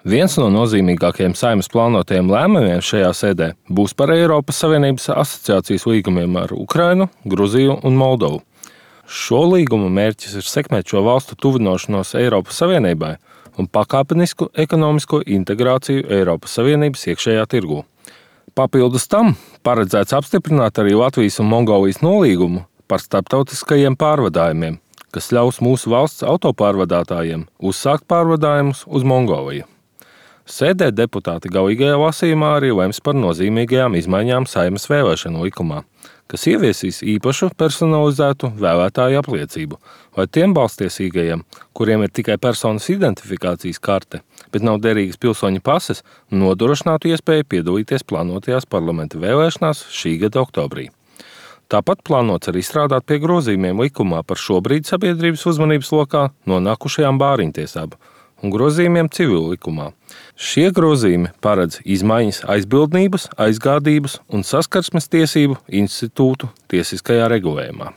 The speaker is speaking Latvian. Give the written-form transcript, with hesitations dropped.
Viens no nozīmīgākajiem Saeimas plānotajiem lēmumiem šajā sēdē būs par Eiropas Savienības asociācijas līgumiem ar Ukrainu, Gruziju un Moldovu. Šo līgumu mērķis ir sekmēt šo valstu tuvināšanos Eiropas Savienībai un pakāpenisku ekonomisko integrāciju Eiropas Savienības iekšējā tirgū. Papildus tam paredzēts apstiprināt arī Latvijas un Mongolijas nolīgumu par starptautiskajiem pārvadājumiem, kas ļaus mūsu valsts autopārvadātājiem uzsākt pārvadājumus uz Mongoliju. Sēdē deputāti galīgajā lasījumā arī lems par nozīmīgajām izmaiņām Saeimas vēlēšanu likumā, kas ieviesīs īpašu personalizētu vēlētāju apliecību, lai tiem balstiesīgajiem, kuriem ir tikai personas identifikācijas karte, bet nav derīgas pilsoņa pases, nodrošinātu iespēju piedalīties plānotajās parlamenta vēlēšanās šī gada oktobrī. Tāpat plānots arī strādāt pie grozījumiem likumā par šobrīd sabiedrības uzmanības lokā nonākušajām bāriņtiesām un grozījumiem civilu likumā. Šie grozījumi paredz izmaiņas aizbildnības, aizgādības un saskarsmes tiesību institūtu tiesiskajā regulējumā.